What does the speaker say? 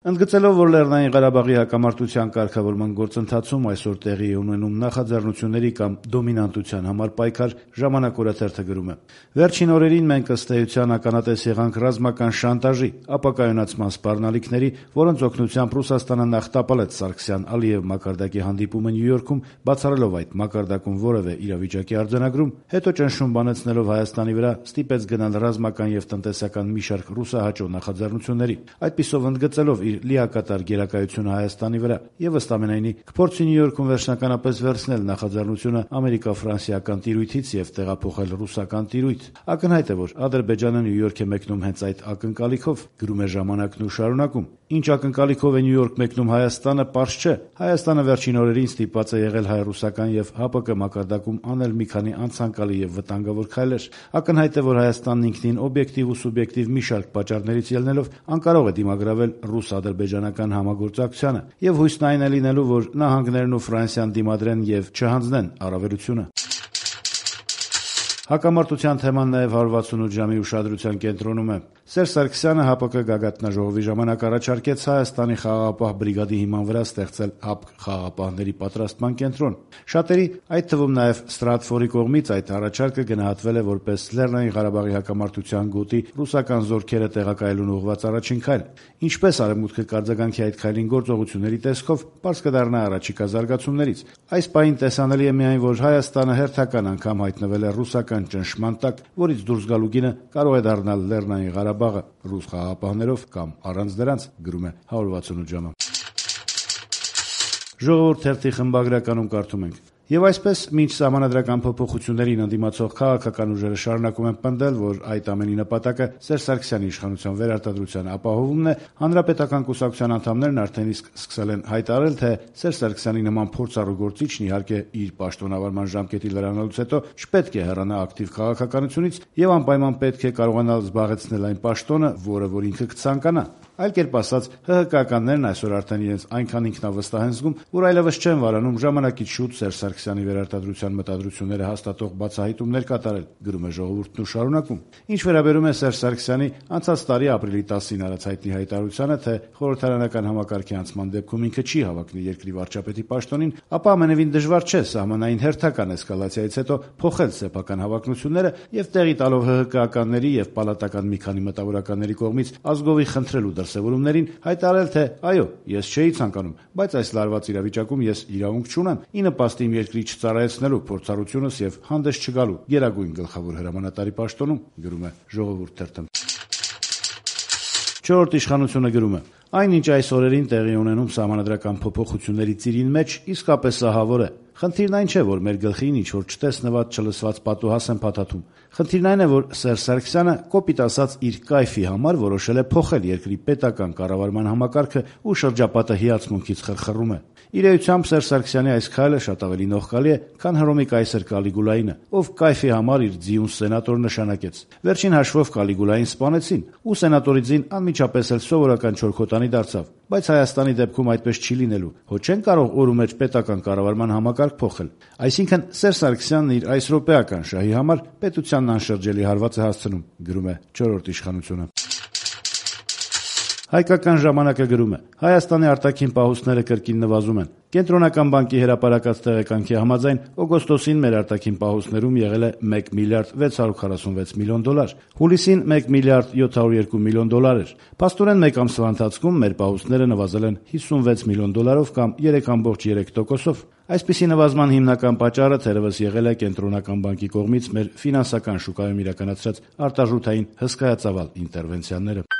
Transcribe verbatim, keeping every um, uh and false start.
Ընդգծելով, որ Լեռնային Ղարաբաղի հակամարտության կարգավորման գործընթացում այսօր տեղի է ունենում նախաձեռնությունների կամ դոմինանտության համար պայքար, «Ժամանակ» օրաթերթը գրում է. «Վերջին օրերին մենք ըստ էության ականատես եղանք ռազմական շանտաժի, ապակայունացման սպառնալիքների, որոնց օգնությամբ Ռուսաստանը նախ տապալեց Սարգսյան-Ալիև մակարդակի հանդիպումը Նյու Յորքում, բացառելով այդ մակարդակում որևէ իրավիճակի արձանագրում, հետո ճնշում բանեցնելով Հայաստանի վրա, ստիպեց գնալ ռազմական եւ տնտեսական մի շարք ռուսահաճո նախաձեռնությունների, այդպիսով ընդգծելով իր լիակատար գերակայությունը Հայաստանի վրա եւ ըստ ամենայնի կփորձի Նյու Յորքում վերջնականապես վերցնել նախաձեռնությունը ամերիկա-ֆրանսիական տիրույթից եւ տեղափոխել ռուսական տիրույթ։ Ակնհայտ է, որ Ադրբեջանը Նյու Յորք է մեկնում հենց այդ ակնկալիքով, գրում է «Ժամանակն» ու շարունակում. Ինչ ակնկալիքով է Նյու Յորք մեկնում Հայաստանը, պարզ չէ։ Հայաստանը վերջին օրերին ստիպված է եղել հայ-ռուսական եւ ՀԱՊԿ մակարդակում անել մի քանի անցանկալի եւ վտանգավոր քայլեր։ Ակնհայտ է, որ Հայաստանն ինքնին օբյեկտիվ ու սուբյեկտիվ մի շարք պատճառներից ելնելով անկարող է դիմագրավել ռուս-ադրբեջանական համագործակցությանը եւ հույսն այն է լինելու, որ նահանգներն ու Ֆրանսիան դիմադրեն եւ չհանձնեն առավելությունը։ Հակամարտության թեման նաև հարյուր վաթսունութ ժամի ուշադրության կենտրոնում է։ Սերժ Սարգսյանը ՀԱՊԿ գագաթնաժողովի ժամանակ առաջարկեց Հայաստանի խաղաղապահ բրիգադի հիման վրա ստեղծել ՀԱՊԿ խաղաղապահների պատրաստման կենտրոն։ Շատերի, այդ թվում նաև Ստրատֆորի կողմից այդ առաջարկը գնահատվել է որպես Լեռնային Ղարաբաղի հակամարտության գոտի ռուսական զորքերը տեղակայելուն ուղղված առաջին քայլ։ Ինչպես Արևմուտքը կարձագանքի այդ քայլին գործողությունների տեսքով, պարզ կդառնա առաջիկա զարգացումներից։ Այս պահին տեսանելի է միայն, որ Հայաստանը հերթական անգամ հայտնվել է ռուսական ճնշման տակ, որից դուրս գալու գինը կարող է դառնալ Լեռնային Ղարաբաղը ռուս խաղաղապահներով կամ առանց դրանց, գրում է հարյուր վաթսունութ ժամը։ Ժողովուրդ թերթի խմբագրականում կարդում ենք. Եվ այսպես, մինչ սահմանադրական փոփոխություններին ընդդիմացող քաղաքական ուժերը շարունակում են պնդել, որ այդ ամենի նպատակը Սերժ Սարգսյանի իշխանության վերարտադրության ապահովումն է, հանրապետական կուսակցության անդամներն արդեն իսկ սկսել են հայտարարել, թե Սերժ Սարգսյանի նման փորձառու գործիչն իհարկե իր պաշտոնավարման ժամկետի լրանալուց հետո չպետք է հեռանա ակտիվ քաղաքականությունից եւ անպայման պետք է կարողանալ զբաղեցնել այն պաշտոնը, որը որ ինքը կցանկանա։ Այլ կերպ ասած, ՀՀԿ-ականներն այսօր արդեն իրենց այնքան ինքնավստահ են զգում, որ այլևս չեն վարանում ժամանակից շուտ Սերժ Սարգսյանի վերարտադրության մտադրությունները հաստատող բացահայտումներ կատարել, գրում է Ժողովուրդն ու շարունակում։ Ինչ վերաբերում է Սերժ Սարգսյանի անցած տարի ապրիլի տասին արած հայտնի հայտարարությանը, թե խորհրդարանական համակարգի անցման դեպքում ինքը չի հավակնի երկրի վարչապետի պաշտոնին, ապա ամենևին դժվար չէ սահմանային հերթական էսկալացիայից հետո փոխել սեփական հավակնությունները եւ տեղի տալով ՀՀԿ-ականների եւ պալատական մի քանի մտավորականների կողմից ազգովի խնդրելու դրսևորումներին հայտարարել, թե այո, ես չէի ցանկանում, բայց այս լարված իրավիճակում ես իրավունք չունեմ ի նպաստ իմ երկրի չծառայեցնելու փորձառությունս եւ հանդես չգալու գերագույն գլխավոր հրամանատարի պաշտոնում, գրում է Ժողովուրդ թերթը։ Չորրորդ իշխանությունը գրում է. Այն, ինչ այս օրերին տեղի ունենում սահմանադրական փոփոխությունների ծիրին մեջ, իսկապես ահավոր է։ Խնդիրն այն չէ, որ մեր գլխին ինչ-որ չտեսնված, չլսված պատուհաս են փաթաթում։ Խնդիրն այն է, որ Սերժ Սարգսյանը կոպիտ ասած իր կայֆի համար որոշել է փոխել երկրի պետական կառավարման համակարգը ու շրջապատը հիացմունքից խրխռում է։ Իր էությամբ Սերժ Սարգսյանի այս քայլը շատ ավելի նողկալի է, քան Հռոմի կայսր Կալիգուլայինը, ով կայֆի համար իր ձիուն սենատոր նշանակեց։ Վերջին հաշվով Կալիգուլային սպանեցին, ու սենատորի ձին անմիջապես էլ սովորական չորքոտանի դարձավ։ Բայց Հայաստանի դեպքում այդպես չի լինելու։ Հո չեն կարող օր ու մեջ պետական կառավարման համակարգ փոխել։ Այսինքն Սերժ Սարգսյանն իր այս րոպեական շահի համար պետությանն անշրջելի հարված է հասցնում, գրում է չորրորդ իշխանությունը։ Հայկական ժամանակը գրում է. Հայաստանի արտաքին պահուստները կրկին նվազում են։ Կենտրոնական բանկի հրապարակած տեղեկանքի համաձայն օգոստոսին մեր արտաքին պահուստներում եղել է մեկ միլիարդ վեց հարյուր քառասունվեց միլիոն դոլար, հուլիսին մեկ միլիարդ յոթ հարյուր երկու միլիոն դոլար էր։ Փաստորեն մեկ ամսվա ընթացքում մեր պահուստները նվազել են հիսունվեց միլիոն դոլարով կամ երեք կόμma երեք տոկոսով։ Այսպիսի նվազման հիմնական պատճառը թերևս եղել է Կենտրոնական բանկի կողմից մեր ֆինանսական շուկայում իրականացրած արտարժութային հսկայածավալ ինտերվենցիաները։